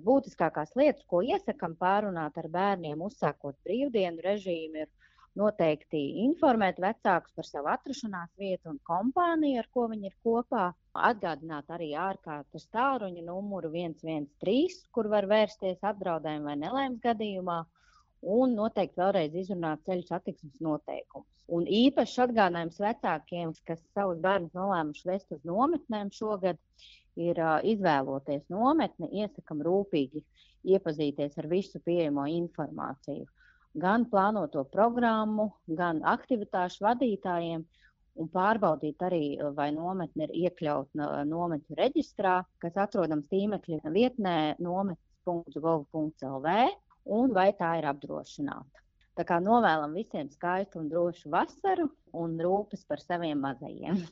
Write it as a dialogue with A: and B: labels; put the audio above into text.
A: Būtiskākās lietas, ko iesakām pārunāt ar bērniem, uzsākot brīvdienu režīmu, ir noteikti informēt vecākus par savu atrašanās vietu un kompāniju, ar ko viņi ir kopā. Atgādināt arī ārkārtas tālruņa numuru 113, kur var vērsties apdraudējuma vai nelaimes gadījumā, un noteikti vēlreiz izrunāt ceļu satiksmes noteikumus. Un īpašs atgādinājums vecākiem, kas savus bērnus nolēmuši vest uz nometnēm šogad, ir izvēloties nometni, iesakam rūpīgi iepazīties ar visu pieejamo informāciju. Gan plānoto programmu, gan aktivitāšu vadītājiem, un pārbaudīt arī, vai nometne ir iekļauta nometņu reģistrā, kas atrodams tīmekļa vietnē nometnes.gov.lv, un vai tā ir apdrošināta. Tā kā novēlam visiem skaistu un drošu vasaru un rūpes par saviem mazajiem.